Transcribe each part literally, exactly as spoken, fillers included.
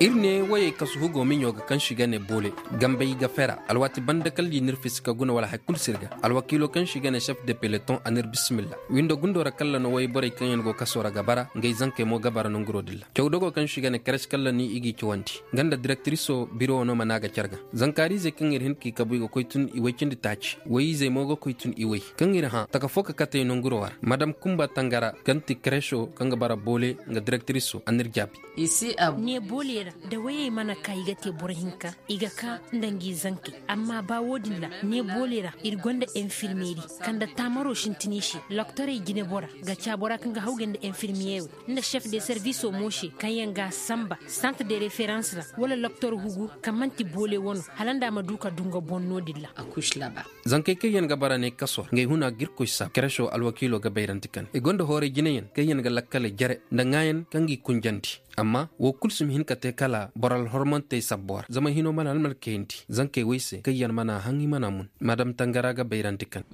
Iri ne wayey kasu hugo miɲo ga kaŋ se i ga ne boole. Gambey ga fera alwaati banda kala i n'iri fisi ka guna wala hari kulu si iri ga. Alwakiilo kaŋ se i ga ne chef de peloton a n'iri bisimilla. Windo gundo ra kala no wayborey kaŋ yaŋ go kaso ra ga bara ngey zankey mo ga bara nanguro din ra. Cawdogo kaŋ se i ga ne kares kala ni i g'i cawandi. Nga nda direktiriso biro no mana ga care ga. Zankaariizey kaŋ iri hin k'i kabu i ga koy tun i way cindi taaci. Wayiizey mo ga koy tun i way kaŋ iri hã taka fo ka katey nanguro ra madam kumba tangara kaŋ ti kareso kaŋ ga bara boole nga direktiriso a n'iri jaabi. Ne booley ra, da wayey mana ka i ga te boro hinka, i ga ka nda ngi zankey. Amma ba wo-din ra, ne booley ra iri gonda enfirmeeri kaŋ nda taamaro sintin i se. Loktorey jinebora ga ca bora kaŋ ga hawgay nda enfirmiyey wo nda chef de serviso mo se kaŋ yaŋ ga a samba santre de referans ra, wala loktor hugu kaŋ manti boole wano hala nda a ma du ka du nga boŋ no-din ra. Zankey kaŋ yaŋ ga bara ne kaso ra ngey huna ga irkoy saabu kereso alwakiilo ga bayrandi kane i gonda hooray jinayaŋ kaŋ yaŋ ga lakkaley jare nda ŋaayan kaŋ g'i kunjandi. Amma wo kulu si ma hin ka te kala boro alhormantey sabbo ra zama hino mana almalkayandi zankey wo i se kaŋ yaŋ mana haŋ i mana mun. Madam tangara ga bayrandi kane.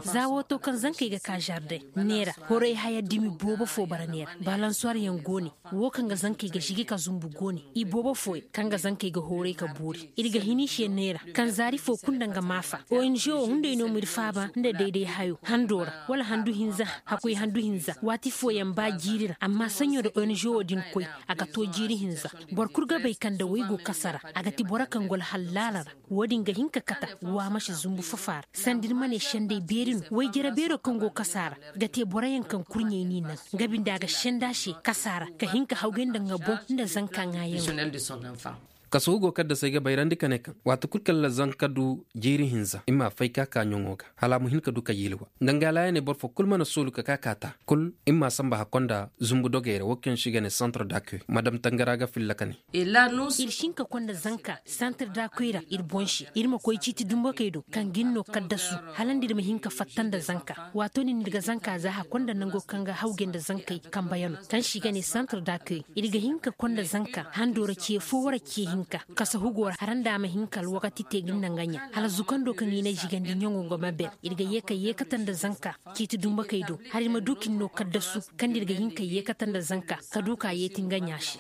Za wo to kaŋ zankey ga ka zardeŋ neera horay haya dumi boobo fo bara neera balansuwar yaŋ go ne. Wo kaŋ ga zankey ga zigi ka zumbu go ne i boobo fooyaŋ kaŋ ga zankey ga hooray ka boori iri ga hin i se neera kaŋ zaari fo kulu nda nga maafa. Ongo wo hunday no m'iri faaba nda dayday hayo hando ra wala handu hinza. Hakkoy handu hinza waati fooyaŋ ba jiiri ra amma saɲo nda ongo din koy a ga to jiiri hinza. Boro kulu ga bay kaŋ nda way go kasa ra a ga ti boro kaŋ go alhallaala ra. Wo-din ga hin ka kata wa ma si zumbu fafa ra sanda iri ma ne sendey beeri no wayjare beero kaŋ go kasa ra ga te boroyaŋ kaŋ kurɲey n'i naŋ nga binde a ga senda se kasa ra ka hin ka hawgay nda nga boŋ nda zanka ŋaayaŋo. Kasu hugo kaddasey ga bayrandi ka ne kaŋ waati kulu kala zanka du jiiri hinza i ma fay ka ka ɲaŋo ga hala a ma hin ka du ka yilwa. Nda nga laayaney boro fo kulu mana soolu ka ka ka ta kulu i ma samba hakko nda zumbu dogey ra wo kaŋ se i ga ne santre dakoy madam tangara ga filla ka ne. Iri si hin ka konda zanka santir da koy ra iri boŋ se iri ma koy ciiti dumbakey do kaŋ ga iri no kaddasu hala nda iri ma hin ka fatta nda zanka. Waato din iri ga zanka za hakkonda nango kaŋ ga hawgay nda zankey kambayano kaŋ se i ga ne santir da koy. Iri ga hin ka konda zanka hando ra ce fo wara ce hinka kasa hugo ra hala nda a ma hin ka alwakati te ga iri naŋ ga ɲa hala zukando kaŋ i na zigandi ɲaŋo ga ma ben. Iri ga ye ka yeekata nda zanka ciiti dumbakey do hala iri ma du ka iri no kaddasu kaŋ da iri ga hin ka yeekata nda zanka ka du ka yeeti nga ɲa se.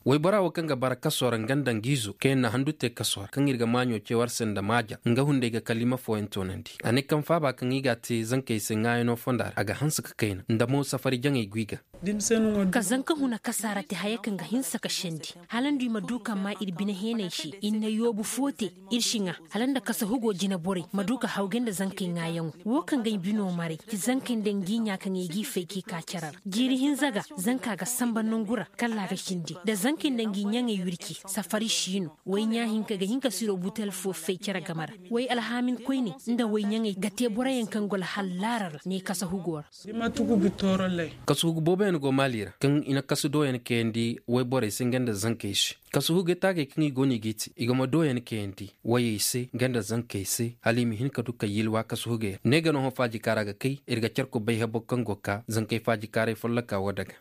Waybora wo kaŋ ga bara kaso ra nga nda nga izo kaŋ yaŋ na handu te kaso ra kaŋ iri ga maaɲo ce war se nda maaja nga hunday ga kaliima fooyaŋ toonandi a ne kaŋ faaba kaŋ i ga a te zankey se ŋaayano fonda ra a ga hanse ka kayna nda mo safari jaŋey go i ga. Ka zanka huna kasaara te haya kaŋ ga hinse ka sendi hala nda i ma du ka maa iri bine heeney se iri na yoobu fo te. Iri si ŋwa hala nda kasa hugo jine borey ma du ka hawgay nda zankey ŋwaayaŋo wo kaŋ ga ay bino maray ti zankey nda ngi ɲa kaŋ ay g'i fay k'i ka care ra jiiri hinza ga. Zanka ga samba nangu ra kala a ga cindi da zankey nda ngi ɲaŋey wirci safari si no. Way ɲa hinka ga hin ka siro butel fo fay care game ra. Way alhaamin koyne nda way ɲaŋey ga te boroyaŋ kaŋ go alhal laara ra ne kasa hugo ra. Kasuhugu booboyaŋ go maali ra kaŋ i na kasu dooyaŋ kayandi wayborey se nga nda zankey se. Kasuhugey taagey kaŋ i go no i g'i te i go ma dooyaŋ kayandi wayey se nga nda zankey se hala i ma hin ka du ka yilwa kasuhugey ra ne ga no hõ faajikaara ga kay iri ga care kubay habo kaŋ go ka zankey faajikaaray folloka wo daga.